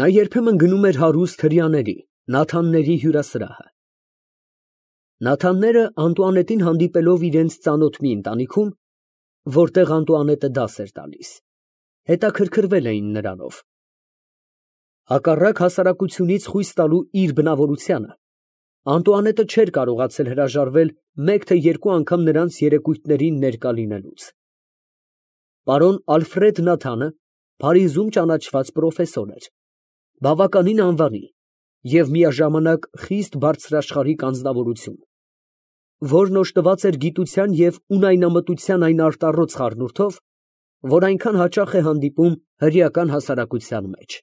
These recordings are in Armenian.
Նա երբեմն գնում էր հարուստ հրեաների, Նաթանների հյուրասրահը։ Նաթանները Անտուանետին հանդիպելով իրենց ծանոթ մի ընտանիքում, որտեղ Անտուանետը դաս էր տալիս, հետաքրքրվել էին նրանով։ Հակառակ հասարակությունից խույս տալու իր բնավորությանը, Անտուանետը չէր կարողացել հրաժարվել մեկ թե երկու անգամ նրանց երեկույթներին ներկա լինելուց։ Պարոն Ալֆրեդ Նաթանը Փարիզում ճանաչված պրոֆեսոր էր, բավականին անվանի և միաժամանակ խիստ բարձրաշխարհիկ անձնավորություն, որն օժտված էր գիտության և ունայնամտության այն արտառոց խառնուրդով, որ այնքան հաճախ է հանդիպում հրեական հասարակության մեջ։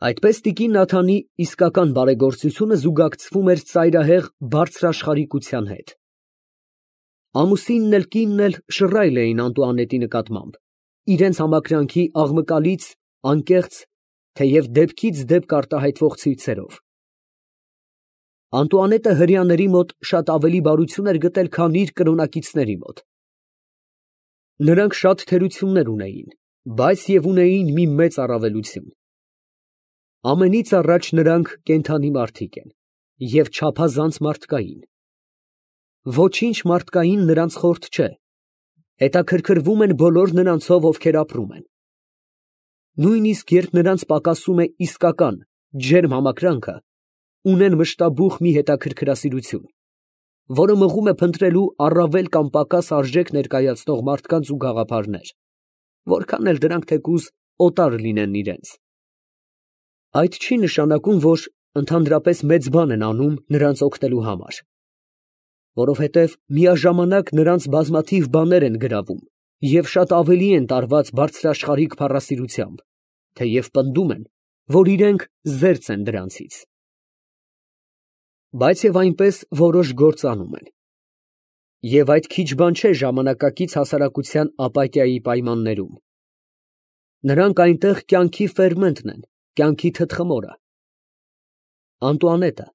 Այդպես տիկին Նաթանի իսկական բարեգործությունը զուգակցվում էր ծայրահեղ բարձրաշխարհիկության հետ։ Ամուսինն էլ կինն էլ շռայլ էին Անտուանետի նկատմամբ, իրենց համակրանքի աղմկալից, անկեղծ, թեև դեպքից դեպք արտահայտվող ցույցերով։ Անտուանետը հրեաների մոտ շատ ավելի բարություն էր գտել, քան իր կրոնակիցների մոտ։ Նրանք շատ թերություններ ունեին, բայց և ունեին մի մեծ առավելություն. ամենից առաջ նրանք կենդանի մարդիկ են և չափազանց մարդկային։ Ոչինչ մարդկային նրանց խորթ չէ, հետաքրքրվում են բոլոր նրանցով, ովքեր ապրում են։ Նույնիսկ երբ նրանց պակասում է իսկական, ջերմ համակրանքը, ունեն մշտաբուխ մի հետաքրքրասիրություն, որը մղում է փնտրելու առավել կամ պակաս արժեք ներկայացնող մարդկանց ու գաղափարներ, որքան էլ դրանք թեկուզ օտար լինեն իրենց։ Այդ չի նշանակում, որ ընդհանրապես մեծ բան են անում նրանց օգնելու համար, որովհետև միաժամանակ նրանց բազմաթիվ բաներ են գրավում և շատ ավելի են տարված բարձրաշխարհիկ փառասիրությամբ, թեև պնդում են, որ իրենք զերծ են դրանցից։ Բայց և այնպես որոշ գործ անում են։ Եվ այդ քիչ բան չէ ժամանակակից հասարակության ապատիայի պայմաններում։ Նրանք այնտեղ կյանքի ֆերմենտն են, կյանքի թթխմորը։ Անտուանետը,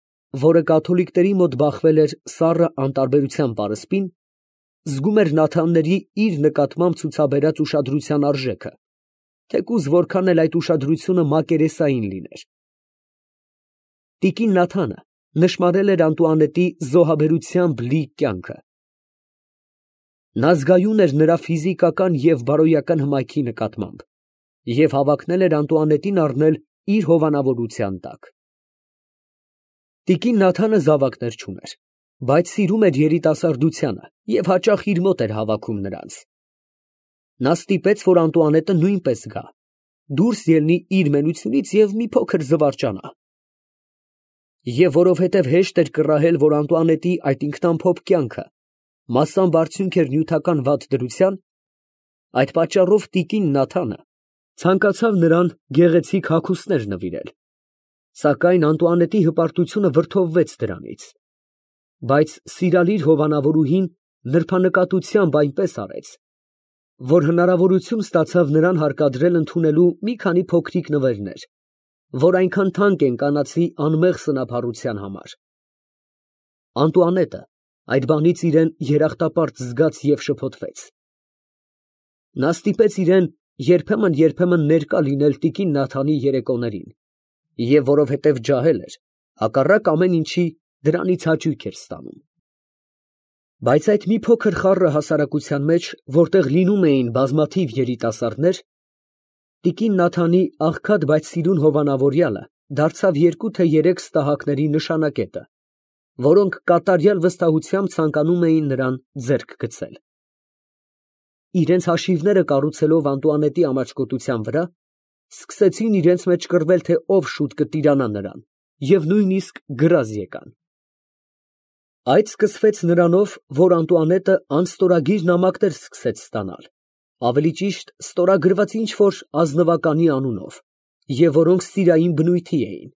որը կաթոլիկների մոտ բախվել էր սառը անտարբերության պարսպին, զգում էր Նաթանների իր նկատմամբ ցուցաբերած ուշադրության արժեքը, թեկուզ որքան էլ այդ ուշադրությունը մակերեսային լիներ։ Տիկին Նաթանը նշմարել էր Անտուանետի զոհաբերությամբ լի կյանքը։ Նա զգայուն էր նրա ֆիզիկական և բարոյական հմայքի նկատմամբ և հավակնել էր Անտուանետին առնել իր հովանավորության տակ։ Տիկին Նաթանը զավակներ չուներ, բայց սիրում էր երիտասարդությանը և հաճախ իր մոտ էր հավաքում նրանց։ Նա ստիպեց, որ Անտուանետը նույնպես գա, դուրս ելնի իր մենությունից և մի փոքր զվարճանա։ Եվ որովհետև հեշտ էր կռահել, որ Անտուանետի այդ ինքնամփոփ կյանքը մասամբ արդյունք էր նյութական վատ դրության, այդ պատճառով տիկին Նաթանը ցանկացավ նրան գեղեցիկ հագուստներ նվիրել, սակայն Անտուանետի հպարտությունը վրդովվեց դրանից, բայց սիրալիր հովանավորուհին նրբանկատությամբ այնպես արեց, որ հնարավորություն ստացավ նրան հարկադրել ընդունելու մի քանի փոքրիկ նվերներ, որ այնքան թանկ են կանացի անմեղ սնափառության համար։ Անտուանետը այդ բանից իրեն երախտապարտ զգաց և շփոթվեց։ Նա ստիպեց իրեն երբեմն ներկա լինել տիկին Նաթանի երեկոներին և որովհետև ջահել էր, հակառակ ամեն ինչի, դրանից հաճույք էր ստանում։ Բայց այդ մի փոքր խառը հասարակության մեջ, որտեղ լինում էին բազմաթիվ երիտասարդներ, տիկին Նաթանի աղքատ, բայց սիրուն հովանավորյալը դարձավ 2 թե 3 ստահակների նշանակետը, որոնք կատարյալ վստահությամբ ցանկանում էին նրան ձեռք գցել։ Իրենց հաշիվները կառուցելով Անտուանետի ամաչկոտության վրա, սկսեցին իրենց մեջ կռվել, թե ով շուտ կտիրանա նրան, և նույնիսկ գրազ եկան։ Այդ սկսվեց նրանով, որ Անտուանետը անստորագիր նամակներ սկսեց ստանալ, ավելի ճիշտ ստորագրված ինչ֊որ ազնվականի անունով, և որոնք սիրային բնույթի էին։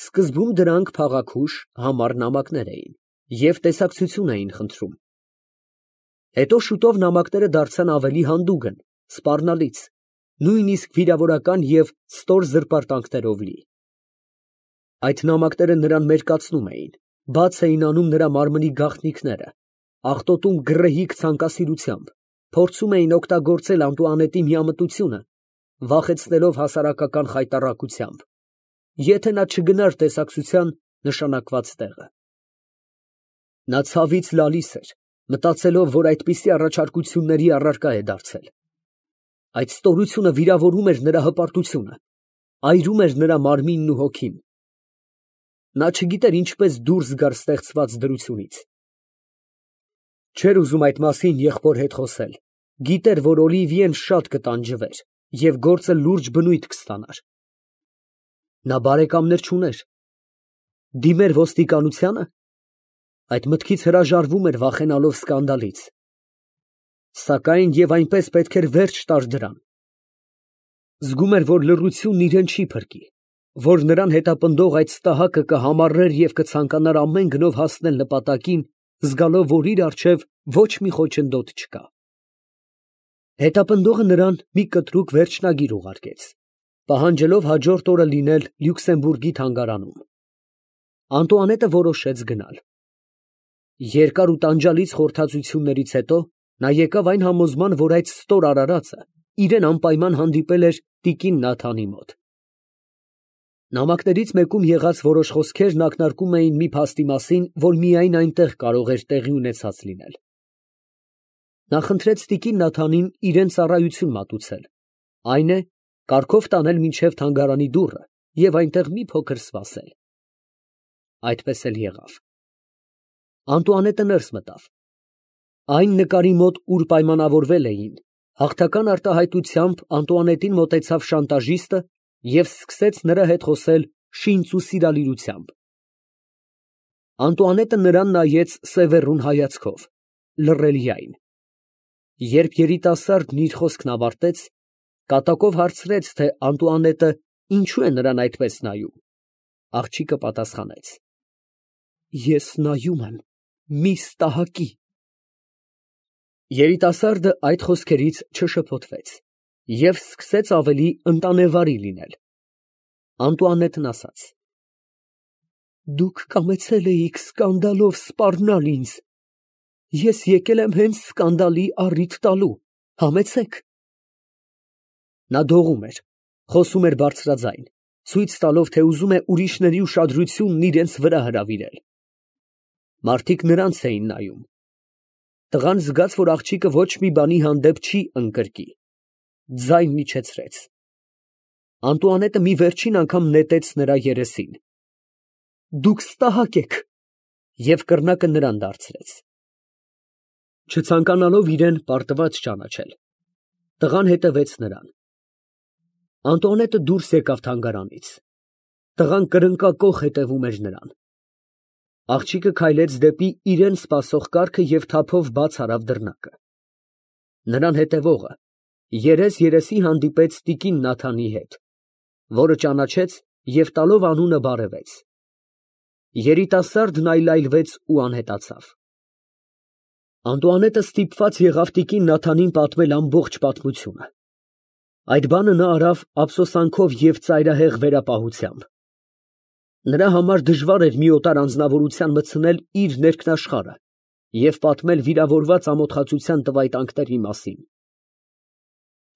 Սկզբում դրանք փաղաքուշ, համառ նամակներ էին և տեսակցություն էին խնդրում։ Հետո շուտով նամակները դարձան ավելի հանդուգն, սպառնալից, նույնիսկ վիրավորական և ստոր զրպարտանքներով լի։ Այդ նամակները նրան մերկացնում էին, բաց էին անում նրա մարմնի գաղտնիքները, աղտոտում գռեհիկ ցանկասիրությամբ, փորձում էին օգտագործել Անտուանետի միամտությունը վախեցնելով հասարակական խայտառակությամբ, եթե նա չգնար տեսակցության նշանակված տեղը։ Նա ցավից լալիս էր, մտածելով, որ այդպիսի առաջարկությունների առարկա է դարձել։ Այդ ստորությունը վիրավորում էր նրա հպարտությունը, այրում էր նրա մարմինն ու հոգին։ Նա չգիտեր ինչպես դուրս գար ստեղծված դրությունից։ Չէր ուզում այդ մասին եղբոր հետ խոսել, գիտեր, որ Օլիվիեն շատ կտանջվեր և գործը լուրջ բնույթ կստանար։ Նա բարեկամներ չուներ։ Դիմեր ոստիկանությա՞նը։ Այդ մտքից հրաժարվում էր, վախենալով սկանդալից։ Սակայն և այնպես պետք էր վերջ տար դրան։ Զգում էր, որ լռությունն իրան չի փրկի, որ նրան հետապնդող այդ ստահակը կհամառեր և կցանկանար ամեն գնով հասնել նպատակին, զգալով, որ իր առջև ոչ մի խոչընդոտ չկա։ Հետապնդողը նրան մի կտրուկ վերջնագիր ուղարկեց, պահանջելով հաջորդ օրը լինել Լյուքսեմբուրգի թանգարանում։ Անտուանետը որոշեց գնալ։ Երկար ու տանջալից խորհրդածություններից հետո նա եկավ այն համոզման, որ այդ ստոր արարածը իրեն անպայման հանդիպել էր տիկին Նաթանի մոտ։ Նամակներից մեկում եղած որոշ խոսքերն ակնարկում էին մի փաստի մասին, որ միայն այնտեղ կարող էր տեղի ունեցած լինել։ Նա խնդրեց տիկին Նաթանին իրեն ծառայություն մատուցել, այն է, կարգով տանել մինչև թանգարանի դուռը և այնտեղ մի փոքր սպասել։ Այդպես էլ եղավ։ Անտուանետը ներս մտավ։ Այն նկարի մոտ, ուր պայմանավորվել էին, հաղթական արտահայտությամբ Անտուանետին մոտեցավ շանտաժիստը և սկսեց նրա հետ խոսել շինծ ու սիրալիրությամբ։ Անտուանետը նրան նայեց սևեռուն հայացքով, լռելիայն։ Երբ երիտասարդն իր խոսքն ավարտեց, կատակով հարցրեց, թե Անտուանետը ինչու է նրան այդպես նայում։ Աղջիկը պատասխանեց. Ես նայում եմ մի ստահակի։ Երիտասարդը այդ խոսքերից չշփոթվեց և սկսեց ավելի ընտանեվարի լինել։ Անտուանետն ասաց. Դուք կամեցել էիք սկանդալով սպառնալ ինձ։ Ես եկել եմ հենց սկանդալի առիթ տալու, համեցեք։ Նա դողում էր, խոսում էր բարձրաձայն, ցույց տալով, թե ուզում է ուրիշների ուշադրությունն իրենց վրա հրավիրել։ Մարդիկ նրանց էին նայում։ Տղան զգաց, որ աղջիկը ոչ մի բանի հանդեպ չի ընկրկի, ձայն իջեցրեց։ Անտուանետը մի վերջին անգամ նետեց նրա երեսին։ Դուք ստահակ եք, և կռնակը նրան դարձրեց։ Չցանկանալով իրան պարտված ճանաչել, տղան հետևեց նրան։ Անտուանետը դուրս եկավ թանգարանից։ Տղան կրնկակոխ հետևում էր նրան։ Աղջիկը քայլեց դեպի իրան սպասող կառքը և թափով բաց արավ դռնակը։ Նրան հետևողը երես հանդիպեց տիկին Նաթանի հետ, որը ճանաչեց և տալով անունը բարևեց։ Երիտասարդն այլայլվեց ու անհետացավ։ Անտուանետը ստիպված եղավ տիկին Նաթանին պատմել ամբողջ պատմությունը։ Այդ բանը նա արավ ափսոսանքով և ծայրահեղ վերապահությամբ։ Նրա համար դժվար էր մի օտար անձնավորության մտցնել իր ներքնաշխարհը և պատմել վիրավորված ամոթխածության տվայտանքների մասին։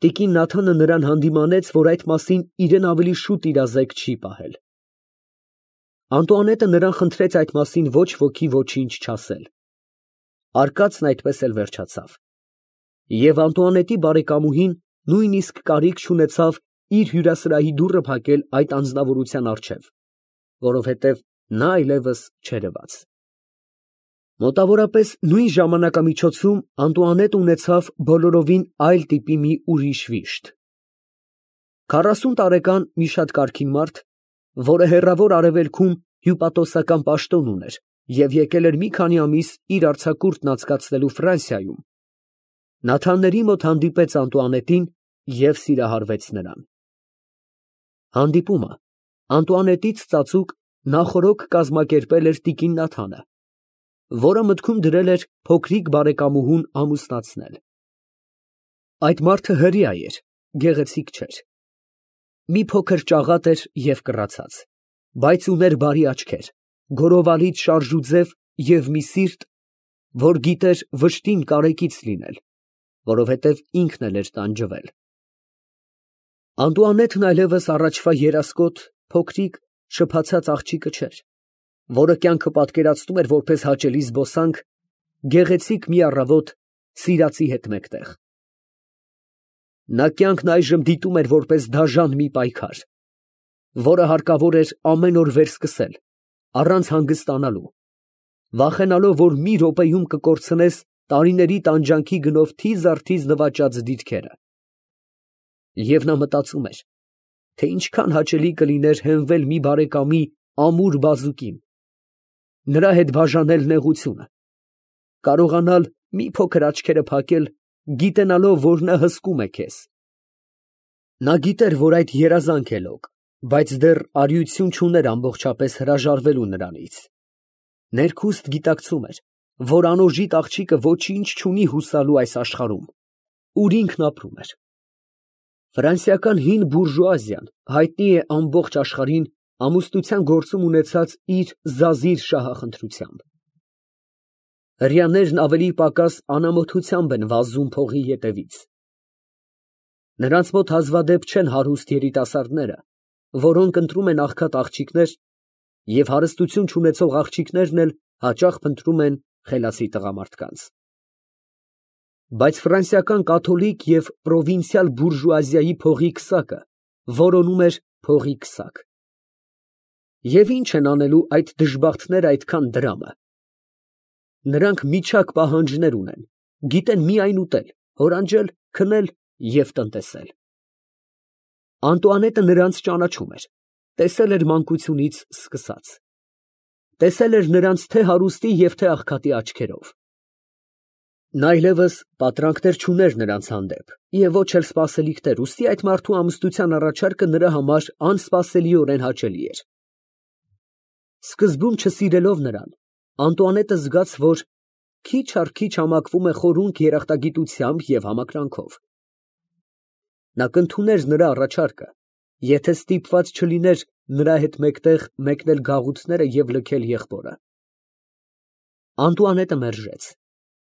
Տիկին Նաթանը նրան հանդիմանեց, որ այդ մասին իրան ավելի շուտ իրազեկ չի պահել։ Անտուանետը նրան խնդրեց այդ մասին ոչ ոքի ոչինչ չասել։ Արկածն այդպես էլ վերջացավ։ Եվ Անտուանետի բարեկամուհին նույնիսկ կարիք չունեցավ իր հյուրասրահի դուռը փակել այդ անձնավորության առջև, որովհետև նա այլևս չերևաց։ Մոտավորապես նույն ժամանակամիջոցում Անտուանետը ունեցավ բոլորովին այլ տիպի մի ուրիշ վիշտ։ 40 տարեկան մի շատ կարգին մարդ, որը հեռավոր արևելքում հյուպատոսական պաշտոն ուներ և եկել էր մի քանի ամիս իր արձակուրդն անցկացնելու Ֆրանսիայում, Նաթանների մոտ հանդիպեց Անտուանետին և սիրահարվեց նրան։ Հանդիպումը Անտուանետից ծածուկ նախօրոք կազմակերպել էր տիկին Նաթանը, որը մտքում դրել էր փոքրիկ բարեկամուհուն ամուսնացնել։ Այդ մարդը հրեա էր, գեղեցիկ չէր։ Մի փոքր ճաղատ էր և կռացած, բայց ուներ բարի աչքեր, գորովալից շարժուձև և մի սիրտ, որ գիտեր վշտին կարեկից լինել, որովհետև ինքն էլ էր տանջվել։ Անտուանետն այլևս առաջվա երասկոտ, փոքրիկ, շփացած աղջիկը չէր, որը կյանքը պատկերացնում էր որպես հաճելի զբոսանք, գեղեցիկ մի առավոտ սիրածի հետ մեկտեղ։ Նա կյանքն այժմ դիտում էր որպես դաժան մի պայքար, որը հարկավոր էր ամեն օր վերսկսել, առանց հանգստանալու, վախենալով, որ մի րոպեում կկորցնես տարիների տանջանքի գնով թիզ առ թիզ նվաճած դիրքերը։ Եվ նա մտածում էր, թե ինչքան հաճելի կլիներ հենվել մի բարեկամի ամուր բազուկին, նրա հետ բաժանել նեղությունը, կարողանալ մի փոքր աչքերը փակել, գիտենալով, որ նա հսկում է քեզ։ Նա գիտեր, որ այդ երազանք է լոկ, բայց դեռ արիություն չուներ ամբողջապես հրաժարվելու նրանից։ Ներքուստ գիտակցում էր, որ անօժիտ աղջիկը ոչինչ չունի հուսալու այս աշխարհում, ուր ինքն ապրում էր։ Ֆրանսիական հին բուրժուազիան հայտնի է ամբողջ աշխարհին ամուսնության գործում ունեցած իր զազիր շահախնդրությամբ։ Հրեաներն ավելի պակաս անամոթությամբ են վազում փողի ետևից։ Նրանց մոտ հազվադեպ չեն հարուստ երիտասարդները, որոնք ընտրում են աղքատ աղջիկներ, և հարստություն չունեցող աղջիկներն էլ հաճախ փնտրում են խելացի տղամարդկանց։ Բայց ֆրանսիական կաթոլիկ և պրովինցիալ բուրժուազիայի փողի քսակը որոնում էր փողի քսակ։ Եվ ի՞նչ են անելու այդ դժբախտները այդքան դրամը։ Նրանք միջակ պահանջներ ունեն, գիտեն միայն ուտել, հորանջել, քնել և տնտեսել։ Անտուանետը նրանց ճանաչում էր, տեսել էր մանկությունից սկսած։ Տեսել էր նրանց թե հարուստի և թե աղքատի աչքերով։ Նա այլևս պատրանքներ չուներ նրանց հանդեպ և ոչ էլ սպասելիքներ, ուստի այդ մարդու ամուսնության առաջարկը նրա համար անսպասելիորեն հաճելի էր։ Սկզբում չսիրելով նրան, Անտուանետը զգաց, որ քիչ առ քիչ համակվում է խորունկ երախտագիտությամբ և համակրանքով։ Նա կընդուներ նրա առաջարկը, եթե ստիպված չլիներ նրա հետ մեկտեղ մեկնել գաղութները և լքել եղբորը։ Անտուանետը մերժեց,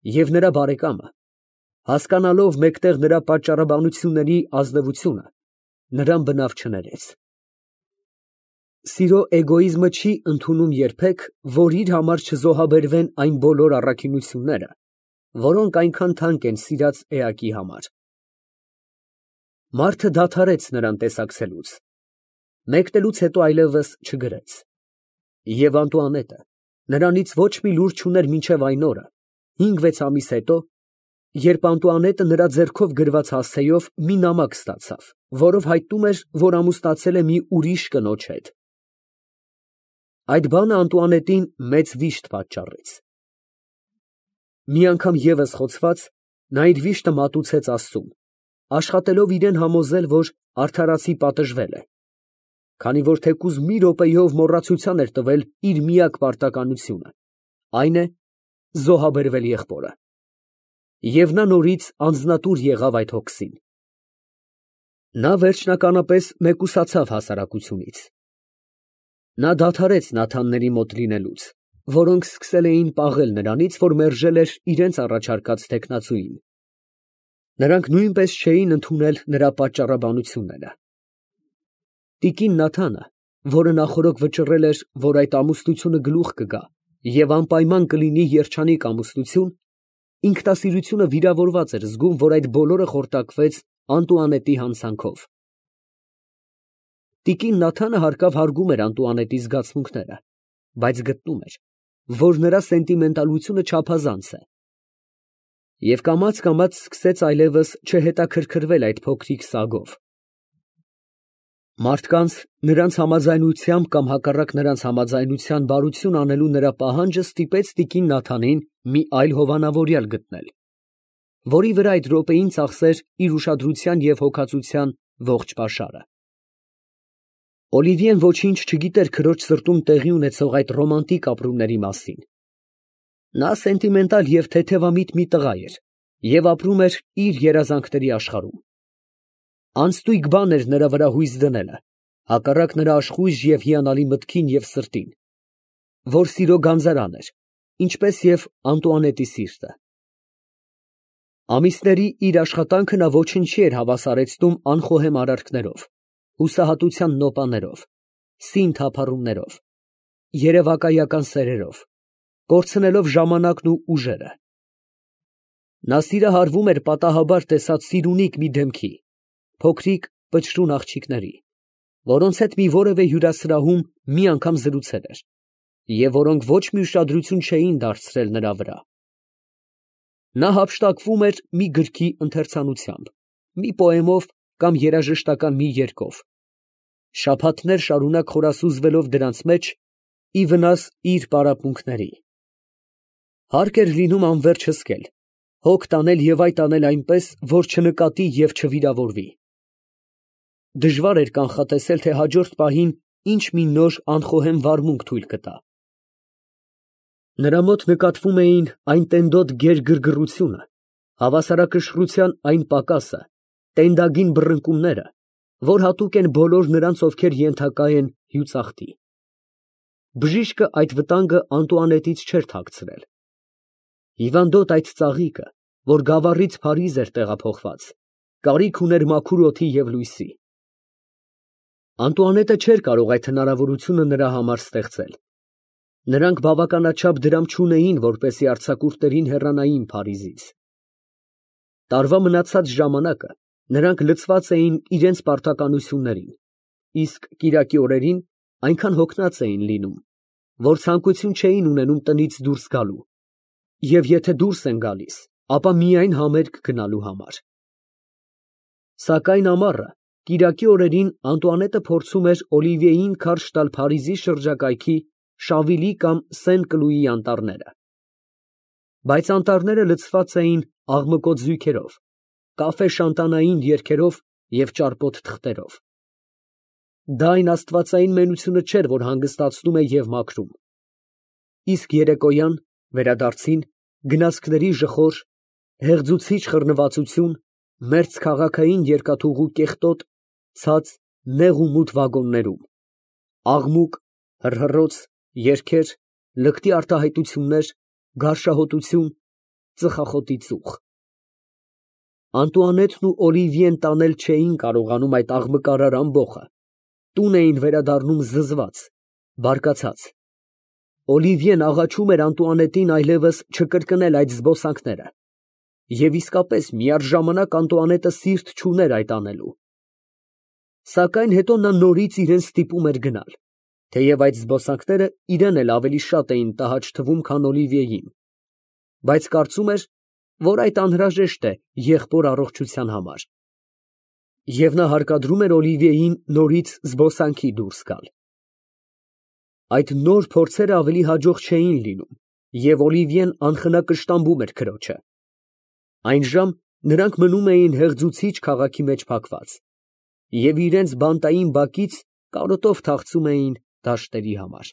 և նրա բարեկամը, հասկանալով մեկտեղ նրա պատճառաբանությունների ազնվությունը, նրան բնավ չներեց։ Սիրո էգոիզմը չի ընդունում երբեք, որ իր համար չզոհաբերվեն այն բոլոր առաքինությունները, որոնք այնքան թանկ են սիրած էակի համար։ Մարդը դադարեց նրան տեսակցելուց, մեկնելուց հետո այլևս չգրեց։ Եվ Անտուանետը նրանից ոչ մի լուր չուներ մինչև այն օրը, 5-6 ամիս հետո, երբ Անտուանետը նրա ձեռքով գրված հասցեով մի նամակ ստացավ, որով հայտնում էր, որ ամուսնացել է մի ուրիշ կնոջ հետ։ Այդ բանը Անտուանետին մեծ վիշտ պատճառեց։ Մի անգամ ևս խոցված, նա իր վիշտը մատուցեց Աստծուն, աշխատելով իրան համոզել, որ արդարացի պատժվել է, քանի որ թեկուզ մի րոպեով մոռացության էր տվել իր միակ պարտականությունը, այն է, զոհաբերվել եղբորը։ Եվ նա նորից անձնատուր եղավ այդ հոգսին։ Նա վերջնականապես մեկուսացավ հասարակությունից։ Նա դադարեց Նաթանների մոտ լինելուց, որոնք սկսել էին պաղել նրանից, որ մերժել էր իրենց առաջարկած թեկնածուին։ Նրանք նույնպես չէին ընդունել նրա պատճառաբանությունները։ Տիկին Նաթանը, որը նախօրոք վճռել էր, որ այդ ամուսնությունը գլուխ կգա և անպայման կլինի երջանիկ ամուսնություն, ինքնասիրությունը վիրավորված էր զգում, որ այդ բոլորը խորտակվեց Անտուանետի հանցանքով։ Տիկին Նաթանը հարկավ հարգում էր Անտուանետի զգացմունքները, բայց գտնում էր, որ նրա սենտիմենտալությունը չափազանց է, և կամաց սկսեց այլևս չհետաքրքրվել այդ փոքրիկ սագով։ Մարդկանց նրանց համաձայնությամբ կամ հակառակ նրանց համաձայնության բարություն անելու նրա պահանջը ստիպեց տիկին Նաթանին մի այլ հովանավորյալ գտնել, որի վրա այդ րոպեին ծախսեր իր ուշադրության և հոգածության ողջ պաշարը։ Օլիվիեն ոչինչ չգիտեր քրոջ սրտում տեղի ունեցող այդ ռոմանտիկ ապրումների մասին։ Նա սենտիմենտալ և թեթևամիտ մի տղա էր և ապրում էր իր երազանքների աշխարհում։ Անստույգ բան էր նրա վրա հույս դնելը, հակառակ նրա աշխույժ և հիանալի մտքին և սրտին, որ սիրո գանձարան էր, ինչպես և Անտուանետի սիրտը։ Ամիսների իր աշխատանքը նա ոչնչի էր հավասարեցնում անխոհեմ արարքներով, հուսահատության նոպաներով, սին թափառումներով, երևակայական սերերով, կորցնելով ժամանակն ու ուժերը։ Նա սիրահարվում էր պատահաբար տեսած սիրունիկ մի դեմքի, փոքրիկ պչրուն աղջիկների, որոնց հետ մի որևէ հյուրասրահում մի անգամ զրուցել էր, և որոնք ոչ մի ուշադրություն չէին դարձրել նրա վրա։ Նա հափշտակվում էր մի գրքի ընթերցանությամբ, մի պոեմով կամ երաժշտական մի երգով, շաբաթներ շարունակ խորասուզվելով դրանց մեջ, ի վնաս իր պարապմունքների։ Հարկ էր լինում անվերջ հսկել, հոգ տանել և այդ անել այնպես, որ չնկատի և չվիրավորվի։ Դժվար էր կանխատեսել, թե հաջորդ պահին ինչ մի նոր անխոհեմ վարմունք թույլ կտա։ Նրա մոտ նկատվում էին այն տենդոտ գերգրգռությունը, հավասարակշռության այն պակասը, տենդագին բռնկումները, որ հատուկ են բոլոր նրանց, ովքեր ենթակա են հյուծախտի։ Բժիշկը այդ վտանգը Անտուանետից չէր թաքցրել։ Հիվանդոտ այդ ծաղիկը, որ գավառից Փարիզ էր տեղափոխված, կարիք ուներ մաքուր օդի և լույսի։ Անտուանետը չէր կարող այդ հնարավորությունը նրա համար ստեղծել։ Նրանք բավականաչափ դրամ չունեին, որպեսզի արձակուրդներին հեռանային Փարիզից։ Տարվա մնացած ժամանակը նրանք լցված էին իրենց պարտականություններին, իսկ կիրակի օրերին այնքան հոգնած էին լինում, որ ցանկություն չէին ունենում տնից դուրս գալու, և եթե դուրս են գալիս, ապա միայն համերգ գնալու համար։ Սակայն ամառը, կիրակի օրերին Անտուանետը փորձում էր Օլիվիեին քարշ տալ Փարիզի շրջակայքի Շավիլի կամ Սեն Կլուի անտառները։ Բայց անտառները լցված էին աղմկոտ զույգերով, կաֆե շանտանային երգերով և ճարպոտ թղթերով։ Դա այն աստվածային մենությունը չէր, որ հանգստացնում է և մաքրում։ Իսկ երեկոյան, վերադարձին, գնացքների ժխոր, հեղձուցիչ խռնվածություն, մերձ քաղաքային երկաթուղու կեղտոտ, ցած, նեղ ու մութ վագոններում, աղմուկ, հռհռոց, երգեր, լկտի արտահայտություններ, գարշահոտություն, ծխախոտի ծուխ։ Անտուանետն ու Օլիվիեն տանել չէին կարողանում այդ աղմկարար ամբոխը, տուն էին վերադառնում զզված, բարկացած։ Օլիվիեն աղաչում էր Անտուանետին այլևս չկրկնել այդ զբոսանքները, և իսկապես միառժամանակ Անտուանետը սիրտ չուներ այդ անելու։ Սակայն հետո նա նորից իրան ստիպում էր գնալ, թեև այդ զբոսանքները իրան էլ ավելի շատ էին տհաճ թվում, քան Օլիվիեին, բայց կարծում էր, որ այդ անհրաժեշտ է եղբոր առողջության համար։ Եվ նա հարկադրում էր Օլիվիեին նորից զբոսանքի դուրս գալ։ Այդ նոր փորձերը ավելի հաջող չէին լինում, և Օլիվիեն անխնա կշտամբում էր քրոջը։ Այնժամ նրանք մնում էին հեղձուցիչ քաղաքի մեջ փակված և իրենց բանտային բակից կարոտով թախծում էին դաշտերի համար։